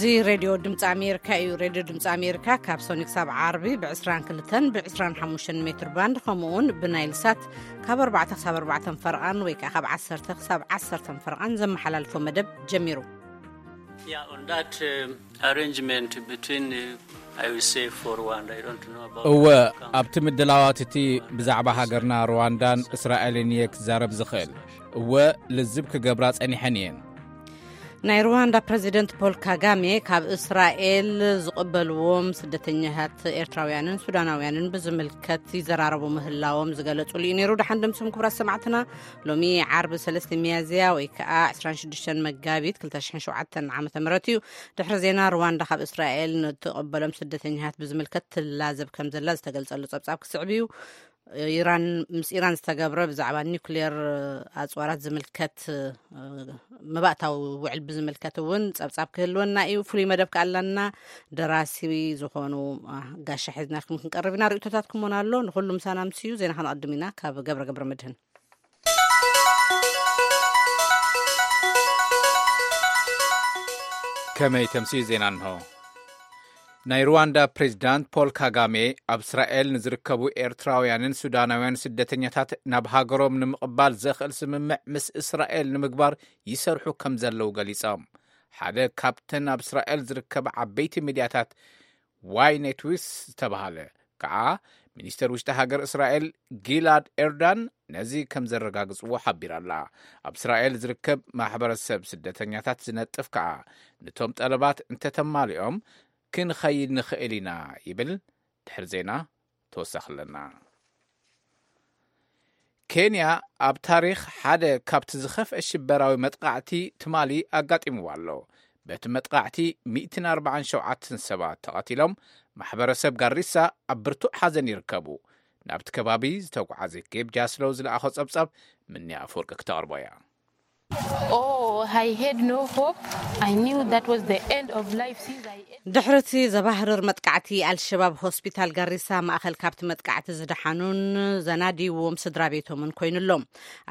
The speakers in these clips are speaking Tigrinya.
እዚ ሬድዮ ድምፂ ኣሜሪካ እዩ። ሬድዮ ድምፂ ኣሜሪካ ካብ ሰኒ ክሳብ ዓርቢ ብ22ን ብ25 ሜትር ባንድ፣ ከምኡ እውን ብናይል ሳት ካብ ኣርባዕተ ክሳብ ኣርባዕተ ፈርቓን ወይ ከዓ ካብ ዓሰርተ ክሳብ ዓሰርተ ፈርቓን ዘመሓላልፎ መደብ ጀሚሩ። Yeah, on that um, arrangement between, uh, I will say, for Rwanda, I don't know about እወ፣ ኣብቲ ምድላዋት እቲ ብዛዕባ ሃገርና ሩዋንዳን እስራኤልን እየ ክዛረብ ዝኽእል። እወ፣ ልዝብ ክገብራ ጸኒሐን እየን። ናይ ሩዋንዳ ፕረዚደንት ፖል ካጋሜ ካብ እስራኤል ዝቕበልዎም ስደተኛታት ኤርትራውያንን ሱዳናውያንን ብዝምልከት ይዘራረቡ ምህላዎም ዝገለጹሉ እዩ ነይሩ። ደሓን ደምስም ክቡራት ሰማዕትና፣ ሎሚ ዓርቢ ሰለስተ ሚያዝያ ወይ ከዓ ዕስራን ሽዱሽተን መጋቢት ክልተ ሽሕን ሸውዓተን ዓመተ ምህረት እዩ። ድሕሪ ዜና፣ ሩዋንዳ ካብ እስራኤል ንትቕበሎም ስደተኛታት ብዝምልከት ትላዘብ ከም ዘላ ዝተገልጸሉ ጸብጻብ ክስዕብ እዩ። ኢራን ምስ ኢራን ዝተገብረ ብዛዕባ ኒውክሌር ኣፅዋራት ዝምልከት፣ መባእታዊ ውዕል ብዝምልከት እውን ጸብጻብ ክህልወና እዩ። ፍሉይ መደብ ከኣላና ደራሲ ዝኾኑ ጋሻ ሒዝናልኩም ክንቀርብ ኢና። ርእቶታትኩም እውን ኣሎ። ንኩሉ ምሳና ምስዩ ዜና ከነቐድም ኢና። ካብ ገብረ ገብረ መድህን። ከመይ ተምስዩ ዜና እንሆ። ናይ ሩዋንዳ ፕሬዚዳንት ፖል ካጋሜ ኣብ እስራኤል ንዝርከቡ ኤርትራውያንን ሱዳናውያን ስደተኛታት ናብ ሃገሮም ንምቕባል ዘኽእል ስምምዕ ምስ እስራኤል ንምግባር ይሰርሑ ከም ዘለዉ ገሊጾም። ሓደ ካብተን ኣብ እስራኤል ዝርከባ ዓበይቲ ሚድያታት ዋይ ኔትዊስ ዝተባሃለ ከዓ ሚኒስተር ውሽጢ ሃገር እስራኤል ጊላድ ኤርዳን ነዚ ከም ዘረጋግጽዎ ሓቢራላ። ኣብ እስራኤል ዝርከብ ማሕበረሰብ ስደተኛታት ዝነጥፍ ከዓ፣ ንቶም ጠለባት እንተተማሊኦም ክንኸይድ ንኽእል ኢና ይብል። ድሕሪ ዜና ተወሳኺ ኣለና። ኬንያ ኣብ ታሪኽ ሓደ ካብቲ ዝኸፍአ ሽበራዊ መጥቃዕቲ ትማሊ ኣጋጢምዋ ኣሎ። በቲ መጥቃዕቲ ሚእትን ኣርባዓን ሸውዓተን ሰባት ተቐቲሎም፣ ማሕበረሰብ ጋሪሳ ኣብ ብርቱዕ ሓዘን ይርከቡ። ናብቲ ከባቢ ዝተጓዓዘ ጌብ ጃስሎው ዝለኣኾ ጸብጻብ ምንያ ኣፈወርቂ ክተቕርቦ እያ። Oh, I had no hope. I knew that was the end of life since I ate. ድሕርቲ ዘባህርር መጥቃዕቲ ኣልሸባብ፣ ሆስፒታል ጋሪሳ ማእኸል ካብቲ መጥቃዕቲ ዝደሓኑን ዘናድይዎም ስድራ ቤቶምን ኮይኑሎም።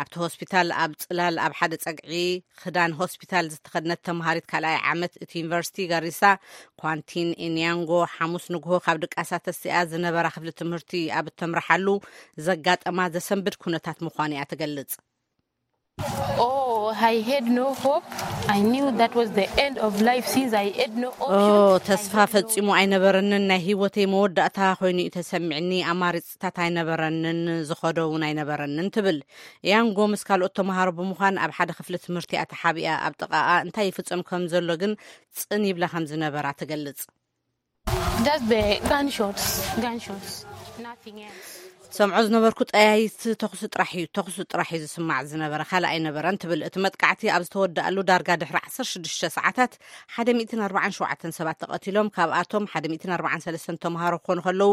ኣብቲ ሆስፒታል ኣብ ጽላል ኣብ ሓደ ጸግዒ ክዳን ሆስፒታል ዝተኸድነት ተምሃሪት ካልኣይ ዓመት እቲ ዩኒቨርሲቲ ጋሪሳ፣ ኳንቲን ኢንያንጎ፣ ሓሙስ ንግሆ ካብ ድቃሳ ተሲኣ ዝነበራ ክፍሊ ትምህርቲ ኣብ እተምርሓሉ ዘጋጠማ ዘሰንብድ ኩነታት ምዃኑ እያ ትገልጽ። Oh, I had no hope. I knew that was the end of life since I had no ኦ option. ተስፋ ፈጺሙ ኣይነበረንን። ናይ ህይወተይ መወዳእታ ኮይኑ እዩ ተሰሚዕኒ። ኣማሪፅታት ኣይነበረንን፣ ዝኸዶ እውን ኣይነበረንን ትብል። ያንጎ ምስ ካልኦት ተምሃሮ ብምዃን ኣብ ሓደ ክፍሊ ትምህርቲ እያ ተሓቢኣ። ኣብ ጥቓኣ እንታይ ይፍጸም ከም ዘሎ ግን ጽን ይብላ ከም ዝነበራ ትገልጽ። Just the gunshots, gunshots, nothing else. ሰምዖ ዝነበርኩ ጠያይቲ ተኹሲ ጥራሕ እዩ፣ ተኹሲ ጥራሕ እዩ ዝስማዕ ዝነበረ፣ ካልእ ኣይነበረን ትብል። እቲ መጥቃዕቲ ኣብ ዝተወደኣሉ ዳርጋ ድሕሪ ዓሰርተ ሽዱሽተ ሰዓታት ሓደ ሚእትን ኣርባዓን ሸውዓተን ሰባት ተቐቲሎም፣ ካብኣቶም ሓደ ሚእትን ኣርባዓን ሰለስተን ተምሃሮ ክኾኑ ከለዉ፣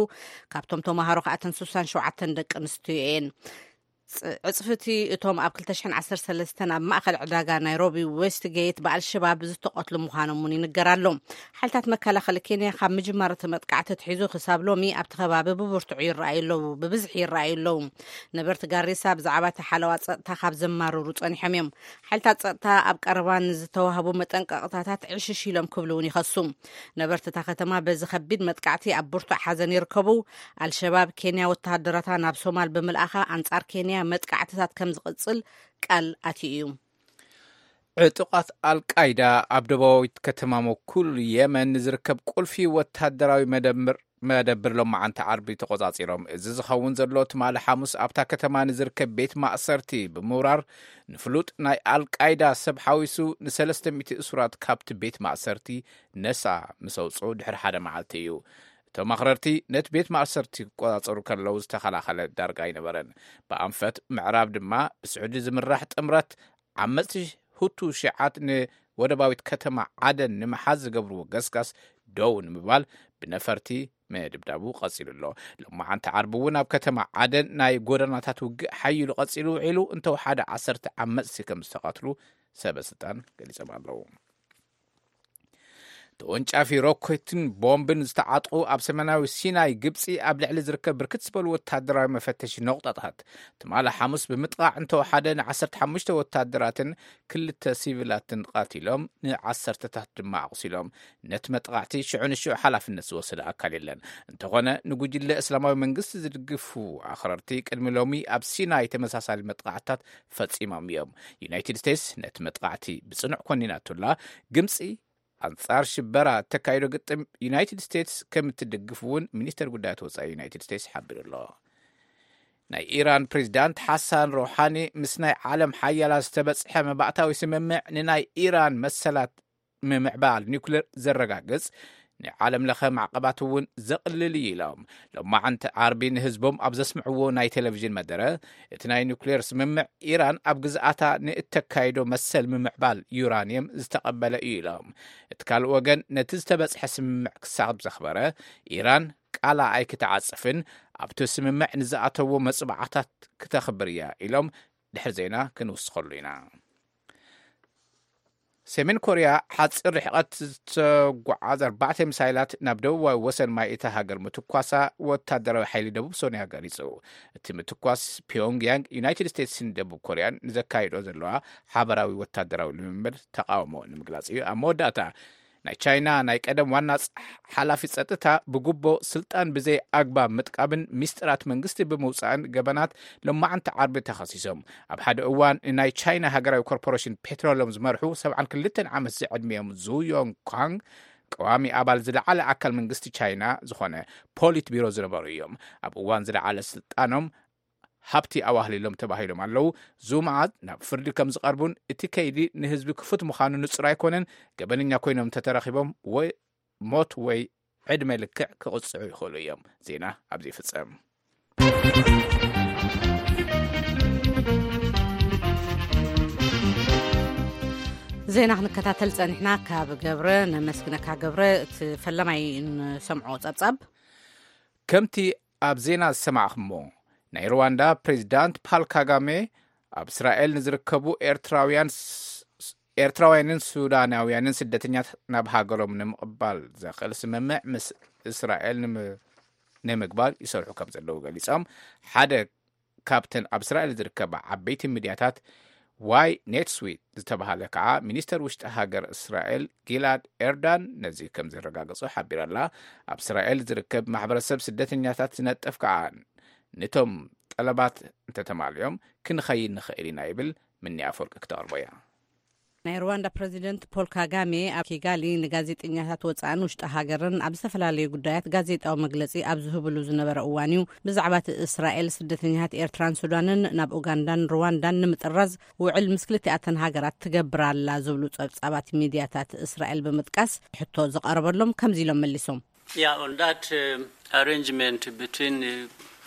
ካብቶም ተምሃሮ ከኣ እተን ስሳን ሸውዓተን ደቂ ኣንስትዮ እየን። ጽ- ዕጽፍቲ እቶም ኣብ ክልተ ሽሕን ዓሰርተ ሰለስተን ኣብ ማእኸል ዕዳጋ ናይሮቢ ዌስትጌት ብኣልሸባብ ዝተቐትሉ ምዃኖም እውን ይንገር ኣሎ። ሓይልታት መከላኸሊ ኬንያ ካብ ምጅማር እቲ መጥቃዕቲ ኣትሒዙ ክሳብ ሎሚ ኣብቲ ከባቢ ብብርቱዕ ይረኣዩ ኣለዉ፣ ብብዝሒ ይረኣዩ ኣለዉ። ነበርቲ ጋሪሳ ብዛዕባ እቲ ሓለዋ ጸጥታ ካብ ዘማርሩ ጸኒሖም እዮም። ሓይልታት ጸጥታ ኣብ ቀረባ ንዝተዋህቡ መጠንቀቕታታት ዕሽሽ ኢሎም ክብሉ እውን ይኸሱ። ነበርቲ እታ ከተማ በዚ ከቢድ መጥቃዕቲ ኣብ ብርቱዕ ሓዘን ይርከቡ። ኣልሸባብ ኬንያ ወተሃደራታ ናብ ሶማል ብምልኣኻ ኣንጻር ኬንያ መጥቃዕትታት ከም ዝቕጽል ቃል ኣትዩ እዩ። ዕጡቓት ኣልቃይዳ ኣብ ደቡባዊት ከተማ ሞኩል የመን ንዝርከብ ቁልፊ ወተሃደራዊ መደብር መደብር ሎማዓንቲ ዓርቢ ተቖጻጺሮም። እዚ ዝኸውን ዘሎ ትማሊ ሓሙስ ኣብታ ከተማ ንዝርከብ ቤት ማእሰርቲ ብምውራር ንፍሉጥ ናይ ኣልቃይዳ ሰብ ሓዊሱ ንሰለስተ ሚእቲ እሱራት ካብቲ ቤት ማእሰርቲ ነጻ ምስ ኣውጽኡ ድሕሪ ሓደ መዓልቲ እዩ። እቶም ኣኽረርቲ ነቲ ቤት ማእሰርቲ ክቆጻጸሩ ከለዉ ዝተኸላኸለ ዳርጋ ኣይነበረን። ብኣንፈት ምዕራብ ድማ ብስዑዲ ዝምራሕ ጥምረት ዓመጽቲ ሁቱ ሺዓት ንወደባዊት ከተማ ዓደን ንምሓዝ ዝገብርዎ ገስጋስ ደው ንምባል ብነፈርቲ ምድብዳቡ ቀጺሉ ኣሎ። ሎማዓንቲ ዓርቢ እውን ኣብ ከተማ ዓደን ናይ ጎደናታት ውግእ ሓይሉ ቀጺሉ ውዒሉ እንተወሓደ ዓሰርተ ዓመጽቲ ከም ዝተቐትሉ ሰበ ስልጣን ገሊጾም ኣለዉ። ተወንጫፊ ሮኬትን ቦምብን ዝተዓጥቑ ኣብ ሰሜናዊ ሲናይ ግብጺ ኣብ ልዕሊ ዝርከብ ብርክት ዝበሉ ወታደራዊ መፈተሺ ነቑጣታት ትማሊ ሓሙስ ብምጥቓዕ እንተወሓደ ን15 ወታደራትን ክልተ ሲቪላትን ቃቲሎም፣ ንዓሰርተታት ድማ ኣቑሲሎም። ነቲ መጥቓዕቲ ሽዑ ንሽዑ ሓላፍነት ዝወሰደ ኣካል የለን። እንተኾነ ንጉጅለ እስላማዊ መንግስቲ ዝድግፉ ኣኽረርቲ ቅድሚ ሎሚ ኣብ ሲናይ ተመሳሳሊ መጥቓዕትታት ፈጺሞም እዮም። ዩናይትድ ስቴትስ ነቲ መጥቓዕቲ ብጽኑዕ ኮኒናቱላ። ግብጺ ኣንጻር ሽበራ እተካይዶ ግጥም ዩናይትድ ስቴትስ ከም እትድግፍ እውን ሚኒስተር ጉዳያት ወጻኢ ዩናይትድ ስቴትስ ሓቢሩ ኣሎ። ናይ ኢራን ፕሬዚዳንት ሓሳን ሮሓኒ ምስ ናይ ዓለም ሓያላት ዝተበጽሐ መባእታዊ ስምምዕ ንናይ ኢራን መሰላት ምምዕባል ኒውክሌር ዘረጋግጽ፣ ንዓለም ለኸ ማዕቀባት እውን ዘቕልል እዩ ኢሎም። ሎማዓንቲ ዓርቢ ንህዝቦም ኣብ ዘስምዕዎ ናይ ቴሌቪዥን መደረ፣ እቲ ናይ ኒውክሌር ስምምዕ ኢራን ኣብ ግዝኣታ ንእተካይዶ መሰል ምምዕባል ዩራንየም ዝተቐበለ እዩ ኢሎም። እቲ ካልእ ወገን ነቲ ዝተበጽሐ ስምምዕ ክሳብ ዘኽበረ፣ ኢራን ቃላ ኣይክትዓጽፍን ኣብቲ ስምምዕ ንዝኣተዎ መጽባዕታት ክተኽብር እያ ኢሎም። ድሕሪ ዜና ክንውስኸሉ ኢና። ሰሜን ኮርያ ሓፂር ርሕቐት ዝተጓዓዝ ኣርባዕተ ሚሳይላት ናብ ደቡባዊ ወሰን ማይ እታ ሃገር ምትኳሳ ወታደራዊ ሓይሊ ደቡብ ሶርያ ገሊጹ። እቲ ምትኳስ ፒዮንግ ያንግ ዩናይትድ ስቴትስን ደቡብ ኮርያን ንዘካይዶ ዘለዋ ሓበራዊ ወታደራዊ ልምምድ ተቃውሞ ንምግላጽ እዩ። ኣብ መወዳእታ ናይ ቻይና ናይ ቀደም ዋና ጸ-፣ ሓላፊ ጸጥታ ብጉቦ ስልጣን ብዘይ ኣግባብ ምጥቃምን ሚስጥራት መንግስቲ ብምውጻእን ገበናት ሎማዓንቲ ዓርቢ ተኸሲሶም። ኣብ ሓደ እዋን ንናይ ቻይና ሃገራዊ ኮርፖሬሽን ፔትሮሎም ዝመርሑ 72 ዓመት ዝዕድሚኦም ዙ ዮንግ ኳንግ ቀዋሚ ኣባል ዝለዓለ ኣካል መንግስቲ ቻይና ዝኾነ ፖሊት ቢሮ ዝነበሩ እዮም። ኣብ እዋን ዝለዓለ ስልጣኖም ሃብቲ ኣዋህሊሎም ተባሂሎም ኣለዉ። ዙ መዓዝ ናብ ፍርዲ ከም ዝቐርቡን እቲ ከይዲ ንህዝቢ ክፉት ምዃኑ ንጹር ኣይኮነን። ገበነኛ ኮይኖም እንተተረኺቦም ወይ ሞት ወይ ዕድመ ልክዕ ክቕጽዑ ይኽእሉ እዮም። ዜና ኣብዚ ይፍጸም። ዜና ክንከታተል ጸኒሕና። ካብ ገብረ ነመስግነካ። ገብረ፣ እቲ ፈለማይ ንሰምዖ ጸብጻብ። ከምቲ ኣብ ዜና ዝሰማዕኹሞ፣ ናይ ሩዋንዳ ፕሬዚዳንት ፓል ካጋሜ ኣብ እስራኤል ንዝርከቡ ኤርትራውያን ስ-፣ ኤርትራውያንን ሱዳናውያንን ስደተኛት ናብ ሃገሮም ንምቕባል ዘኽእል ስምምዕ ምስ እስራኤል ንም-፣ ንምግባር ይሰርሑ ከም ዘለዉ ገሊጾም። ሓደ ካብተን ኣብ እስራኤል ዝርከባ ዓበይቲ ሚድያታት ዋይ ኔትስዊት ዝተባሃለ ከዓ ሚኒስተር ውሽጢ ሃገር እስራኤል ጊላድ ኤርዳን ነዚ ከም ዘረጋገጹ ሓቢራ ኣላ። ኣብ እስራኤል ዝርከብ ማሕበረሰብ ስደተኛታት ዝነጥፍ ከዓ ንቶም ጠለባት እንተተማልዮም ክንኸይድ ንኽእል ኢና ይብል። ምኒ ኣፈወርቂ ክተቕርቦ እያ። ናይ ሩዋንዳ ፕረዚደንት ፖል ካጋሜ ኣብ ኪጋሊ ንጋዜጠኛታት ወጻእን ውሽጢ ሃገርን ኣብ ዝተፈላለዩ ጉዳያት ጋዜጣዊ መግለጺ ኣብ ዝህብሉ ዝነበረ እዋን እዩ፣ ብዛዕባ እቲ እስራኤል ስደተኛታት ኤርትራን ሱዳንን ናብ ኡጋንዳን ሩዋንዳን ንምጥራዝ ውዕል ምስ ክልቲኣተን ሃገራት ትገብር ኣላ ዝብሉ ጸብጻባት ሚድያታት እስራኤል ብምጥቃስ ሕቶ ዝቐረበሎም ከምዚ ኢሎም መሊሶም። Yeah, on that, um, arrangement between, uh,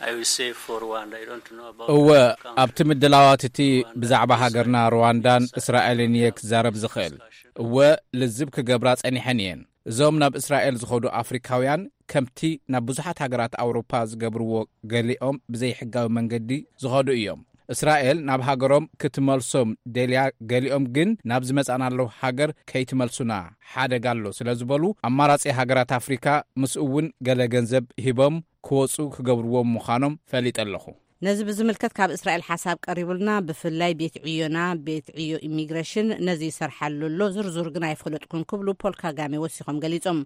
I will say for Rwanda, I don't know about እወ፣ other countries. ኣብቲ ምድላዋት እቲ ብዛዕባ ሃገርና ሩዋንዳን እስራኤልን እየ ክዛረብ ዝኽእል። እወ፣ ልዝብ ክገብራ ጸኒሐን እየን። እዞም ናብ እስራኤል ዝኸዱ ኣፍሪካውያን ከምቲ ናብ ብዙሓት ሃገራት ኣውሮፓ ዝገብርዎ ገሊኦም ብዘይሕጋዊ መንገዲ ዝኸዱ እዮም። እስራኤል ናብ ሃገሮም ክትመልሶም ደልያ፣ ገሊኦም ግን ናብ ዝመጻናሉ ሃገር ከይትመልሱና ሓደጋ ኣሎ ስለ ዝበሉ ኣማራጺ ሃገራት ኣፍሪካ ምስኡ እውን ገለ ገንዘብ ሂቦም ክወጹ ክገብርዎም ምዃኖም ፈሊጠ ኣለኹ። ነዚ ብዝምልከት ካብ እስራኤል ሓሳብ ቀሪቡልና፣ ብፍላይ ቤት ዕዮና፣ ቤት ዕዮ ኢሚግሬሽን ነዚ ይሰርሓሉ ኣሎ፣ ዝርዙር ግን ኣይፈለጥኩን ክብሉ ፖል ካጋሜ ወሲኾም ገሊጾም።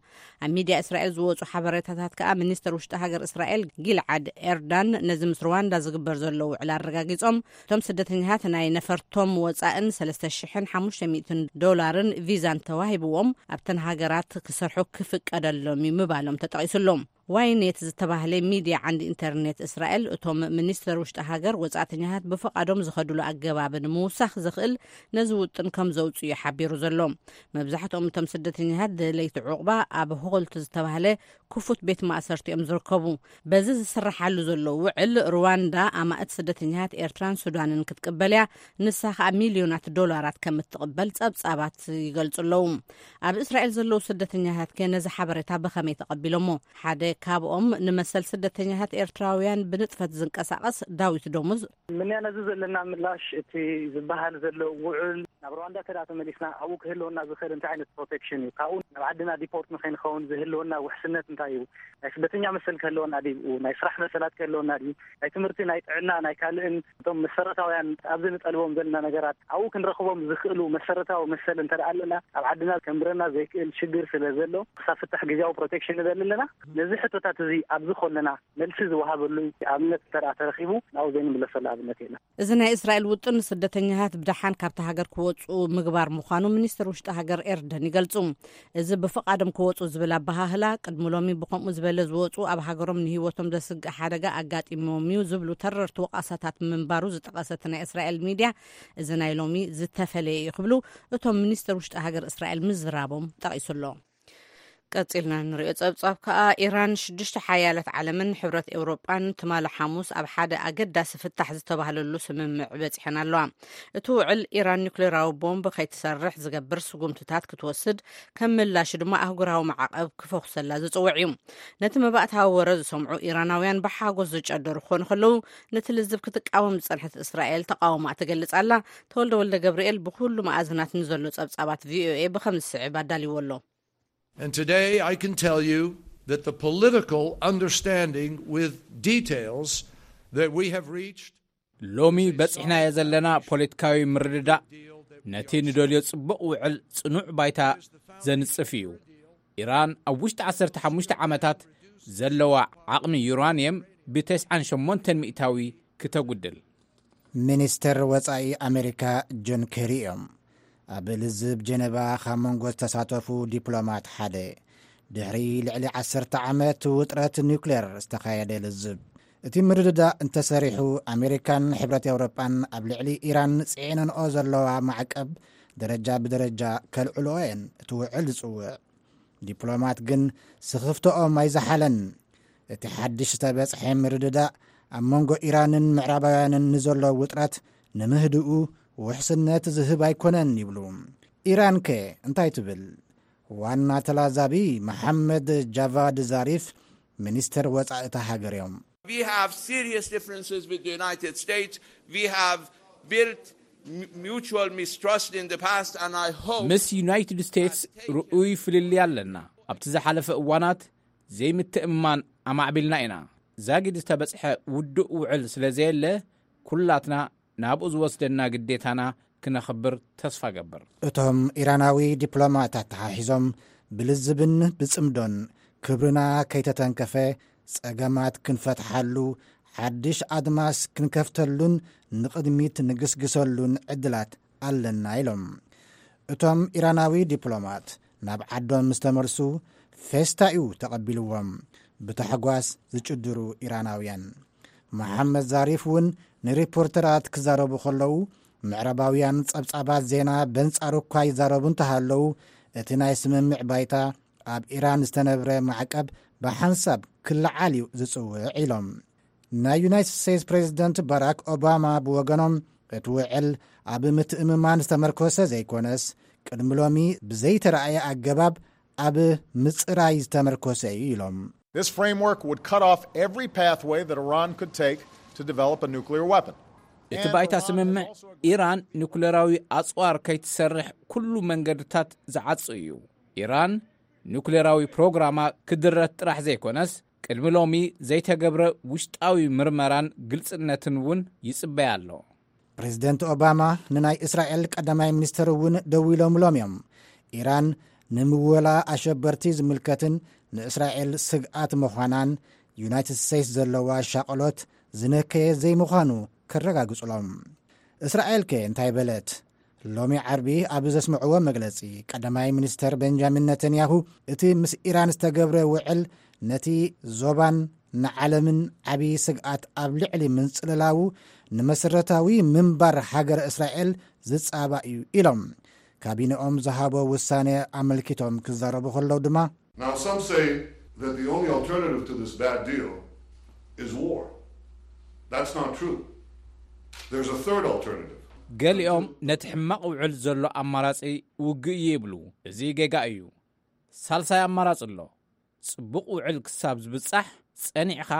ኣብ ሚድያ እስራኤል ዝወጹ ሓበሬታታት ከኣ ሚኒስተር ውሽጢ ሃገር እስራኤል ጊልዓድ ኤርዳን ነዚ ምስ ሩዋንዳ ዝግበር ዘሎ ውዕል ኣረጋጊጾም። እቶም ስደተኛታት ናይ ነፈርቶም ወጻእን ሰለስተ ሽሕን ሓሙሽተ ሚእትን ዶላርን ቪዛን ተዋሂብዎም ኣብተን ሃገራት ክሰርሑ ክፍቀደሎም እዩ ምባሎም ተጠቒሱ ኣሎ። ዋይኔት ዝተባህለ ሚድያ ዓንዲ ኢንተርኔት እስራኤል፣ እቶም ሚኒስተር ውሽጢ ሃገር ወጻእተኛታት ብፈቓዶም ዝኸድሉ ኣገባብ ንምውሳኽ ዘኽእል ነዚ ውጥን ከም ዘውጽኡ እዩ ሓቢሩ ዘሎ። መብዛሕትኦም እቶም ስደተኛታት ደለይቲ ዑቕባ ኣብ ሆልት ዝተባህለ ክፉት ቤት ማእሰርቲ እዮም ዝርከቡ። በዚ ዝስርሓሉ ዘሎ ውዕል ሩዋንዳ ኣማእት ስደተኛታት ኤርትራን ሱዳንን ክትቅበል እያ። ንሳ ከኣ ሚልዮናት ዶላራት ከም እትቕበል ጸብጻባት ይገልጹ ኣለዉ። ኣብ እስራኤል ዘለዉ ስደተኛታት ከ ነዚ ሓበሬታ ብኸመይ ተቐቢሎሞ? ሓደ ካብኦም ንመሰል ስደተኛታት ኤርትራውያን ብንጥፈት ዝንቀሳቐስ ዳዊት ደሙዝ። ምንያ ነዚ ዘለና ምላሽ እቲ ዝበሃል ዘሎ ውዕል ናብ ሩዋንዳ እንተ ደኣ ተመሊስና፣ ኣብኡ ክህልወና ዝኽእል እንታይ ዓይነት ፕሮቴክሽን እዩ? ካብኡ ናብ ዓድና ዲፖርት ንኸይንኸውን ዝህልወና ውሕስነት እንታይ እዩ? ናይ ስደተኛ መሰል ክህልወና ድዩ? ናይ ስራሕ መሰላት ክህልወና ድዩ? ናይ ትምህርቲ፣ ናይ ጥዕና፣ ናይ ካልእን እቶም መሰረታውያን ኣብዚ ንጠልቦም ዘለና ነገራት ኣብኡ ክንረኽቦም ዝኽእሉ መሰረታዊ መሰል እንተ ደኣ ኣለና፣ ኣብ ዓድና ከንብረና ዘይክእል ሽግር ስለ ዘሎ፣ ክሳብ ፍታሕ ግዜያዊ ፕሮቴክሽን ንደሊ ኣለና። ነዚ ሕቶታት እዚ ኣብዚ ከለና መልሲ ዝወሃበሉ ኣብነት እንተ ደኣ ተረኺቡ፣ ናብኡ ዘይንምለሰሉ ኣብነት የለን። እዚ ናይ እስራኤል ውጥን፣ ስደተኛታት ብደሓን ካብታ ሃገር ክወጹ ምግባር ምዃኑ ሚኒስትር ውሽጢ ሃገር ኤርደን ይገልጹ። እዚ ብፍቓዶም ክወጹ ዝብል ኣበሃህላ፣ ቅድሚ ሎሚ ብኸምኡ ዝበለ ዝወጹ፣ ኣብ ሃገሮም ንህይወቶም ዘስግእ ሓደጋ ኣጋጢሞም እዩ ዝብሉ ተረርቲ ወቓሳታት ምንባሩ ዝጠቐሰ እቲ ናይ እስራኤል ሚድያ፣ እዚ ናይ ሎሚ ዝተፈለየ እዩ ክብሉ እቶም ሚኒስትር ውሽጢ ሃገር እስራኤል ምዝራቦም ጠቒሱ ኣሎ። ቀጺልና ንሪኦ ጸብጻብ ከኣ፣ ኢራን ሽዱሽተ ሓያላት ዓለምን ሕብረት ኤውሮጳን ትማሊ ሓሙስ ኣብ ሓደ ኣገዳሲ ፍታሕ ዝተባህለሉ ስምምዕ በጺሐን ኣለዋ። እቲ ውዕል፣ ኢራን ኒውክሌራዊ ቦምብ ከይትሰርሕ ዝገብር ስጉምትታት ክትወስድ፣ ከም ምላሹ ድማ ኣህጉራዊ ማዕቐብ ክፈኹሰላ ዝጽውዕ እዩ። ነቲ መባእታዊ ወረ ዝሰምዑ ኢራናውያን ብሓጎስ ዝጨደሩ ክኾኑ ከለዉ፣ ነቲ ልዝብ ክትቃወም ዝጸንሐት እስራኤል ተቓውሞኣ ትገልጽ ኣላ። ተወልደ ወልደ ገብርኤል ብኹሉ መኣዝናት ንዘሎ ጸብጻባት ቪኦኤ ብኸም ዝስዕብ ኣዳልይዎ ኣሎ። And today I can tell you that the political understanding with details that we have reached ሎሚ በጺሕናዮ ዘለና ፖለቲካዊ ምርድዳእ ነቲ ንደልዮ ጽቡቕ ውዕል ጽኑዕ ባይታ ዘንጽፍ እዩ። ኢራን ኣብ ውሽጢ ዓሰርተ ሓሙሽተ ዓመታት ዘለዋ ዓቕሚ ዩራንየም ብተስዓን ሸሞንተን ሚእታዊ ክተጉድል። ሚኒስተር ወጻኢ ኣሜሪካ ጆን ኬሪ እዮም ኣብ ልዝብ ጀነቫ ካብ መንጎ ዝተሳተፉ ዲፕሎማት ሓደ። ድሕሪ ልዕሊ ዓሰርተ ዓመት ውጥረት ኒውክሌር ዝተኻየደ ልዝብ፣ እቲ ምርድዳእ እንተሰሪሑ፣ ኣሜሪካን ሕብረት ኤውሮጳን ኣብ ልዕሊ ኢራን ጽዒነንኦ ዘለዋ ማዕቀብ ደረጃ ብደረጃ ከልዕልኦ እየን እቲ ውዕል ዝጽውዕ። ዲፕሎማት ግን ስኽፍትኦም ኣይዘሓለን። እቲ ሓድሽ ዝተበጽሐ ምርድዳእ ኣብ መንጎ ኢራንን ምዕራባውያንን ንዘሎ ውጥረት ንምህድኡ ውሕስነት ዝህብ ኣይኮነን ይብሉ። ኢራን ከ እንታይ ትብል? ዋና ተላዛቢ መሓመድ ጃቫድ ዛሪፍ ሚኒስተር ወጻኢ እታ ሃገር እዮም። We have serious differences with the United States. We have built mutual mistrust in the past, and I hope ምስ ዩናይትድ ስቴትስ ርኡይ ፍልልይ ኣለና። ኣብቲ ዝሓለፈ እዋናት ዘይምትእምማን ኣማዕቢልና ኢና። ዛጊድ ዝተበጽሐ ውዱእ ውዕል ስለ ዘየለ፣ ኩላትና ናብኡ ዝወስደና ግዴታና ክነኽብር ተስፋ ገብር። እቶም ኢራናዊ ዲፕሎማት ኣተሓሒዞም፣ ብልዝብን ብጽምዶን ክብርና ከይተተንከፈ ጸገማት ክንፈትሓሉ፣ ሓድሽ ኣድማስ ክንከፍተሉን ንቕድሚት ንግስግሰሉን ዕድላት ኣለና ኢሎም። እቶም ኢራናዊ ዲፕሎማት ናብ ዓዶም ምስ ተመልሱ፣ ፌስታ እዩ ተቐቢልዎም ብታሕጓስ ዝጭድሩ ኢራናውያን። መሓመድ ዛሪፍ እውን ንሪፖርተራት ክዛረቡ ከለዉ፣ ምዕራባውያን ጸብጻባት ዜና በንጻሩ እኳ ይዛረቡ እንተሃለዉ፣ እቲ ናይ ስምምዕ ባይታ ኣብ ኢራን ዝተነብረ ማዕቀብ ብሓንሳብ ክለዓል እዩ ዝጽውዕ ኢሎም። ናይ ዩናይትድ ስቴትስ ፕሬዚደንት ባራክ ኦባማ ብወገኖም፣ እቲ ውዕል ኣብ ምትእምማን ዝተመርኮሰ ዘይኮነስ፣ ቅድሚ ሎሚ ብዘይተረኣየ ኣገባብ ኣብ ምጽራይ ዝተመርኮሰ እዩ ኢሎም። This framework would cut off every pathway that Iran could take to develop a nuclear weapon. እቲ ባይታ ስምምዕ ኢራን ኒኩሌራዊ ኣጽዋር ከይትሰርሕ ኩሉ መንገድታት ዝዓጹ እዩ። ኢራን ኒኩሌራዊ ፕሮግራማ ክድረት ጥራሕ ዘይኮነስ፣ ቅድሚ ሎሚ ዘይተገብረ ውሽጣዊ ምርመራን ግልጽነትን እውን ይጽበያ ኣሎ። ፕሬዚደንት ኦባማ ንናይ እስራኤል ቀዳማይ ሚኒስትር እውን ደዊሎምሎም እዮም። ኢራን ንምወላ ኣሸበርቲ ዝምልከትን ንእስራኤል ስግኣት ምዃናን ዩናይትድ ስቴትስ ዘለዋ ሻቕሎት ዝነከየ ዘይምዃኑ ከረጋግጹሎም። እስራኤል ከ እንታይ በለት? ሎሚ ዓርቢ ኣብ ዘስምዕዎ መግለጺ፣ ቀዳማይ ሚኒስተር ቤንጃሚን ነተንያሁ፣ እቲ ምስ ኢራን ዝተገብረ ውዕል ነቲ ዞባን ንዓለምን ዓቢ ስግኣት ኣብ ልዕሊ ምንጽልላዉ ንመሰረታዊ ምንባር ሃገረ እስራኤል ዝጻባእ እዩ ኢሎም። ካቢነኦም ዝሃቦ ውሳነ ኣመልኪቶም ክዛረቡ ከለዉ ድማ፣ Now, some say that the only alternative to this bad deal is war. That's not true. There's a third alternative. ገሊኦም ነቲ ሕማቕ ውዕል ዘሎ ኣማራጺ ውግእ እዩ ይብሉ። እዚ ጌጋ እዩ። ሳልሳይ ኣማራጺ ኣሎ። ጽቡቕ ውዕል ክሳብ ዝብጻሕ ጸኒዕኻ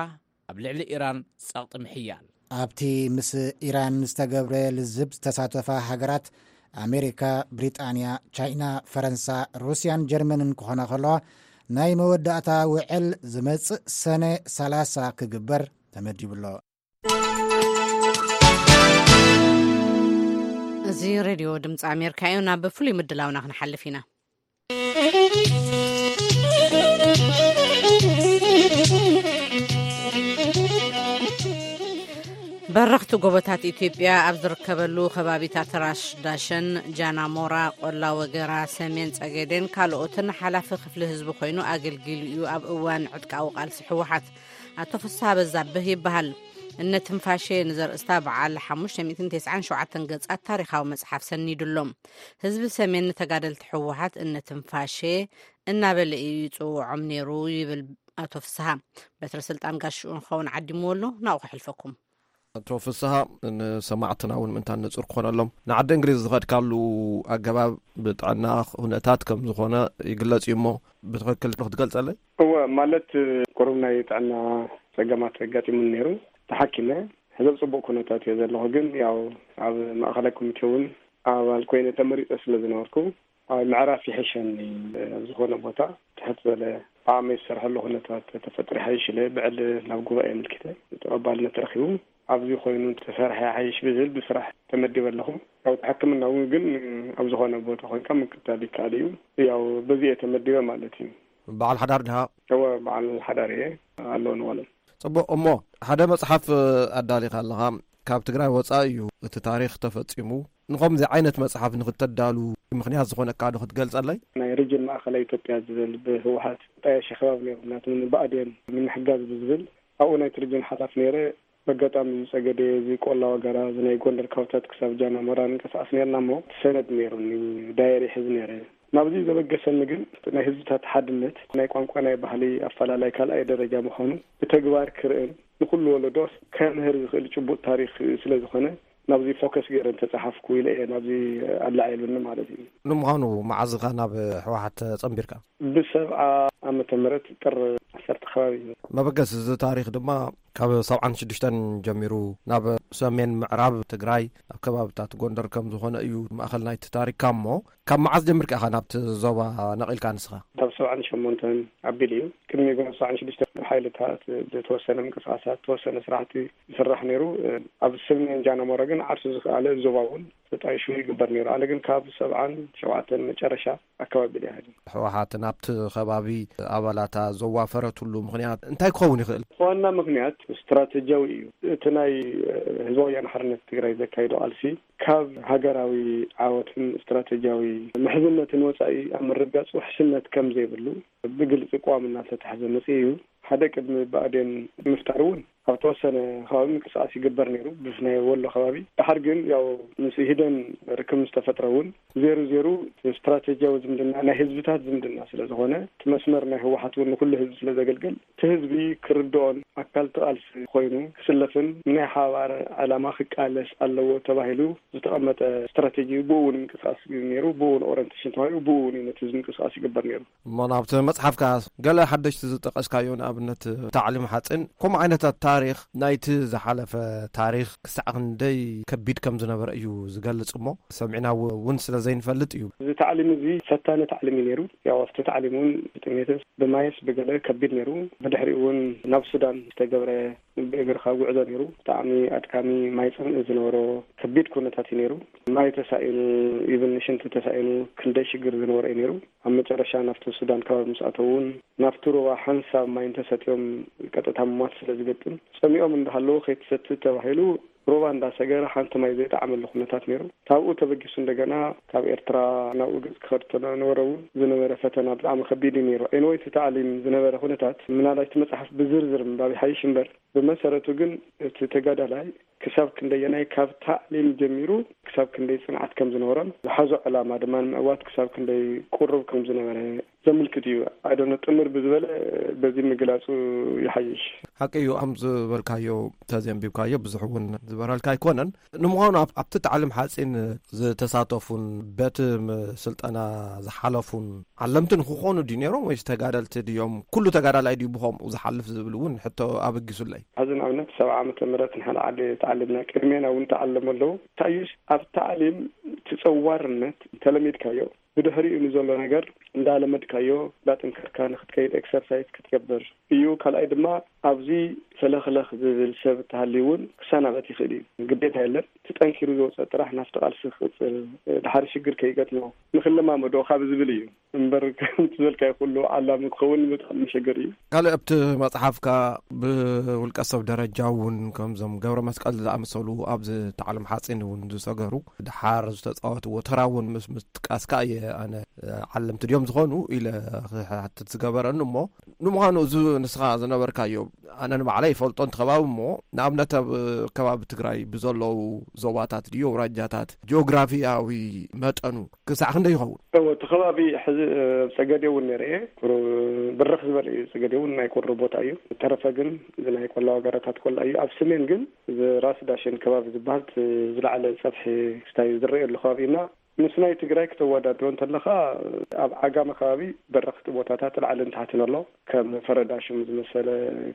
ኣብ ልዕሊ ኢራን ጸቕጢ ምሕያል። ኣብቲ ምስ ኢራን ዝተገብረ ልዝብ ዝተሳተፋ ሃገራት ኣሜሪካ፣ ብሪጣንያ፣ ቻይና፣ ፈረንሳ፣ ሩስያን ጀርመንን ክኾና ከለዋ፣ ናይ መወዳእታ ውዕል ዝመጽእ ሰነ ሰላሳ ክግበር ተመዲቡ ኣሎ። እዚ ሬድዮ ድምፂ ኣሜሪካ እዩ። ናብ ፍሉይ ምድላውና ክንሓልፍ ኢና። በረኽቲ ጎቦታት ኢትዮጵያ ኣብ ዝርከበሉ ከባቢታት ራሽ ዳሸን፣ ጃናሞራ፣ ቆላ ወገራ፣ ሰሜን ጸገዴን ካልኦትን ሓላፊ ክፍሊ ህዝቢ ኮይኑ ኣገልጊሉ እዩ። ኣብ እዋን ዕጥቃዊ ቃልሲ ህወሓት ኣቶ ፍስሃ በዛብህ ይበሃል። እነ ትንፋሼ ንዘርእስታ በዓል ሓሙሽተ ሚእትን ተስዓን ሸውዓተን ገጻት ታሪኻዊ መጽሓፍ ሰኒዱሎም። ህዝቢ ሰሜን ንተጋደልቲ ህወሓት እነ ትንፋሼ እናበለ እዩ ይጽውዖም ነይሩ ይብል ኣቶ ፍስሃ። በትረ ስልጣን ጋሽኡ ንኸውን ዓዲምዎ ኣሎ፣ ናብኡ ከሕልፈኩም። ኣቶ ፍስሃ፣ ንሰማዕትና እውን ምእንታን ንጹር ክኾነሎም፣ ንዓዲ እንግሊዝ ዝኸድካሉ ኣገባብ ብጥዕና ኩነታት ከም ዝኾነ ይግለጽ እዩ እሞ፣ ብትኽክል ክትገልጸለይ? እወ፣ ማለት፣ ቁሩብ ናይ ጥዕና ጸገማት ኣጋጢሙኒ ነይሩ። ተሓኪመ፣ ሕዚ ኣብ ጽቡቕ ኩነታት እየ ዘለኹ። ግን ያው ኣብ ማእኸላይ ኮሚቴ እውን ኣባል ኮይነ ተመሪጸ ስለ ዝነበርኩ፣ ኣብ ምዕራፍ ይሕሸኒ፣ ኣብ ዝኾነ ቦታ ትሕት ዝበለ ዓቕመይ ዝሰርሐሉ ኩነታት ተፈጥሩ ይሓይሽ ኢለ ብዕሊ ናብ ጉባኤ ኣመልኪተ ተቐባልነት ረኺቡ። ኣብዚ ኮይኑ ተሰርሐ ይሓይሽ ብዝብል ብስራሕ ተመዲበ ኣለኹ። ኣብ ሕክምና እውን ግን ኣብ ዝኾነ ቦታ ኮይንካ ምክታል ይከኣል እዩ። ያው በዚ እየ ተመዲበ ማለት እዩ። በዓል ሓዳር ድኻ? እወ፣ በዓል ሓዳር እየ። ኣለዎ ንዋሎም። ጽቡቕ። እሞ ሓደ መጽሓፍ ኣዳሊኻ ኣለኻ። ካብ ትግራይ ወጻኢ እዩ እቲ ታሪኽ ተፈጺሙ። ንኸምዚ ዓይነት መጽሓፍ ንኽተዳሉ ምኽንያት ዝኾነካ ዶ ክትገልጸለይ? ናይ ሪጅን ማእኸላይ ኢትዮጵያ ዝብል ብህወሓት ጣየሽ ከባቢ ነይሩ፣ ናቱ ብኣዴን ንምሕጋዝ ብዝብል ኣብኡ ናይቲ ሪጅን ሓላፊ ነይረ። በጋጣሚ እዚ ጸገዴ፣ እዚ ቆላ ወገራ፣ እዚ ናይ ጎንደር ካውታት ክሳብ ጃና ሞራ ንንቀሳቐስ ነይርና እሞ ሰነድ ነይሩኒ፣ ዳየሪ ሒዝ ነይረ። ናብዚ ዘበገሰኒ ግን ናይ ህዝብታት ሓድነት፣ ናይ ቋንቋ፣ ናይ ባህሊ ኣፈላላይ ካልኣይ ደረጃ ምዃኑ ብተግባር ክርእን ንኹሉ ወለዶስ ከምህር ዝኽእል ጭቡጥ ታሪኽ ስለ ዝኾነ ናብዚ ፎከስ ገይረ እንተጸሓፍኩ ኢለ እየ ናብዚ ኣላዒሉኒ ማለት እዩ። ንምዃኑ መዓዝ ኢኻ ናብ ህወሓት ጸንቢርካ? ብሰብዓ ዓመተ ምህረት ጥሪ ዓሰርተ ከባቢ እዩ። መበገሲ እዚ ታሪኽ ድማ ካብ ሰብዓን ሽዱሽተን ጀሚሩ ናብ ሰሜን ምዕራብ ትግራይ ናብ ከባብታት ጎንደር ከም ዝኾነ እዩ ማእኸል ናይቲ ታሪኽካ። እሞ ካብ መዓዝ ጀሚርካ ኢኻ ናብቲ ዞባ ነቒልካ ንስኻ? ካብ ሰብዓን ሸሞንተን ኣቢሉ እዩ። ቅድሚ ሰብዓን ሽዱሽተን ሓይልታት ዝተወሰነ ምንቅስቃሳት፣ ዝተወሰነ ስራሕቲ ይስራሕ ነይሩ። ኣብ ሰሜን ጃናሞራ ግን ዓርሱ ዝኸኣለ ዞባ እውን ተጣይሹ ይግበር ነይሩ። ኣነ ግን ካብ ሰብዓን ሸውዓተን መጨረሻ ኣካባቢ ኢለ ይሃድም። ህወሓት ናብቲ ከባቢ ኣባላታ ዘዋፈረትሉ ምኽንያት እንታይ ክኸውን ይኽእል? ዋና ምኽንያት ስትራቴጂያዊ እዩ። እቲ ናይ ህዝባዊ ወያነ ሓርነት ትግራይ ዘካይዶ ቃልሲ ካብ ሃገራዊ ዓወትን ስትራቴጂያዊ ምሕዝነትን ወፃኢ ኣብ ምርግጋፅ ውሕስነት ከም ዘይብሉ ብግልፂ ቅዋም እናተታሕዘ መፅኡ እዩ። ሓደ ቅድሚ ብኣዴን ምፍጣር እውን ኣብ ተወሰነ ከባቢ ምንቅስቃስ ይግበር ነይሩ፣ ብፍላይ ወሎ ከባቢ። ድሓር ግን ያው ምስ ኢህዴን ርክብ ምስ ተፈጥረ እውን ዜሩ ዜሩ ስትራቴጂያዊ ዝምድና ናይ ህዝብታት ዝምድና ስለ ዝኾነ፣ እቲ መስመር ናይ ህወሓት እውን ንኩሉ ህዝቢ ስለ ዘገልግል፣ እቲ ህዝቢ ክርድኦን ኣካል እቲ ቃልሲ ኮይኑ ክስለፍን ንናይ ሓባር ዕላማ ክቃለስ ኣለዎ ተባሂሉ ዝተቐመጠ ስትራቴጂ፣ ብኡ እውን ምንቅስቃስ ነይሩ፣ ብኡ እውን ኦሪንቴሽን ተዋሂቡ፣ ብኡ እውን እዩ ነቲ ህዝቢ ምንቅስቃስ ይግበር ነይሩ። እሞ ናብቲ መጽሓፍካ ገለ ሓደሽቲ ዝጠቐስካዮ፣ ንኣብነት ታዕሊም ሓጺን፣ ከምኡ ዓይነታት ታሪኽ ናይቲ ዝሓለፈ ታሪኽ ክሳዕ ክንደይ ከቢድ ከም ዝነበረ እዩ ዝገልጽ እሞ፣ ሰሚዕና እውን ስለ ዘይንፈልጥ እዩ። እዚ ታዕሊም እዚ ፈታኒ ታዕሊም እዩ ነይሩ። ያው ኣብቲ ታዕሊም እውን ብጥሜትስ ብማይስ ብገለ ከቢድ ነይሩ። ብድሕሪኡ እውን ናብ ሱዳን ዝተገብረ ብእግርኻ ጉዕዞ ነይሩ። ብጣዕሚ ኣድካሚ፣ ማይ ጽምኢ ዝነበሮ ከቢድ ኩነታት እዩ ነይሩ። ማይ ተሳኢኑ፣ ኢቭን ሽንቲ ተሳኢኑ፣ ክንደይ ሽግር ዝነበሮ እዩ ነይሩ። ኣብ መጨረሻ ናብቲ ሱዳን ከባቢ ምስ ኣተዉ እውን ናብቲ ሩባ ሓንሳብ ማይ እንተሰትዮም ቀጥታ ምሟት ስለ ዝገጥም፣ ጸሚኦም እንዳሃለዉ ከይትሰቲ ተባሂሉ ሩባ እንዳሰገረ ሓንቲ ማይ ዘይጠዓመሉ ኩነታት ነይሩ። ካብኡ ተበጊሱ እንደገና ካብ ኤርትራ ናብኡ ገጽ ክኸድ ተነበረ እውን ዝነበረ ፈተና ብጣዕሚ ከቢድ እዩ ነይሩ። ኤንወይ እቲ ታዕሊም ዝነበረ ኩነታት ምናልባት እቲ መጽሓፍ ብዝርዝር ምንባብ ይሓይሽ እምበር፣ ብመሰረቱ ግን እቲ ተጋዳላይ ክሳብ ክንደየናይ ካብ ታዕሊም ጀሚሩ ክሳብ ክንደይ ጽንዓት ከም ዝነበሮን ዝሓዞ ዕላማ ድማ ንምዕዋት ክሳብ ክንደይ ቅሩብ ከም ዝነበረ ዘምልክት እዩ። ኣይደኖ ጥምር ብዝበለ በዚ ምግላጹ ይሓይሽ። ሓቂ እዩ፣ ከም ዝበልካዮ ተዘንቢብካዮ ብዙሕ እውን ዝበረልካ ኣይኮነን። ንምዃኑ ኣብ-፣ ኣብቲ ታዕሊም ሓጺን ዝተሳተፉን በቲ ም-፣ ስልጠና ዝሓለፉን ዓለምቲ ንክኾኑ ድዩ ነይሮም ወይስ ተጋደልቲ ድዮም? ኩሉ ተጋዳላይ ድዩ ብኸምኡ ዝሓልፍ ዝብል እውን ሕቶ ኣበጊሱለይ። ሕዚ ንኣብነት ሰብዓ ዓመተ ምህረት ንሓደ ዓዲ ኣለና። ቅድሜና እውን ተዓለሙ ኣለዉ። ታዩስ ኣብ ታዕሊም ትጸዋርነት ተለሚድካዮ፣ ብድሕሪኡ ንዘሎ ነገር እንዳለመድካዮ እንዳጠንከርካ ንክትከይድ፣ ኤክሰርሳይዝ ክትገብር እዩ። ካልኣይ ድማ ኣብዚ ፈለኽለኽ ዝብል ሰብ እተሃልዩ እውን ክሰናበት ይኽእል እዩ። ግዴታ የለን። እቲ ጠንኪሩ ዝወፀ ጥራሕ ናብቲ ቃልሲ ክቅፅል፣ ድሓር ሽግር ከይገጥሞ ንክለማመዶ ካብ ዝብል እዩ እምበር ከምቲ ዝበልካዮ ኩሉ ዓላሚ ክኸውን ብጣዕሚ መሸገር እዩ። ካልእ ኣብቲ መጽሓፍካ ብውልቀ ሰብ ደረጃ እውን ከምዞም ገብረ መስቀል ዝኣመሰሉ ኣብዚ ታዕለም ሓጺን እውን ዝሰገሩ ድሓር ዝተጻወትዎ ተራ እውን ምስ ምጥቃስካ እየ ኣነ ዓለምቲ ድዮም ዝኾኑ ኢለ ክሓትት ዝገበረኒ። እሞ ንምዃኑ እዚ ንስኻ ዝነበርካዮ ኣነ ንባዕለይ ይፈልጦ እንተ ከባቢ እሞ ንኣብነት ኣብ ከባቢ ትግራይ ብዘለዉ ዞባታት ድዩ ኣውራጃታት ጂኦግራፊያዊ መጠኑ ክሳዕ ክንደይ ይኸውን? እወ፣ እቲ ከባቢ ሕዚ ኣብ ጸገዴ እውን ነይረ እየ። ቁሩብ ብርኽ ዝበለ እዩ። ጸገዴ እውን ናይ ቁሪ ቦታ እዩ። ተረፈ ግን እዚ ናይ ቆላ ወገረታት ቆላ እዩ። ኣብ ሰሜን ግን እዚ ራስ ዳሽን ከባቢ ዝበሃል እቲ ዝለዓለ ጸፍሒ ክስታይ ዝረኣየሉ ከባቢ እና ምስ ናይ ትግራይ ክተወዳድሮ እንተለኻ ኣብ ዓጋመ ከባቢ በረኽቲ ቦታታት ላዕልን ታሕትን ኣሎ። ከም ፈረዳ ሽም ዝመሰለ፣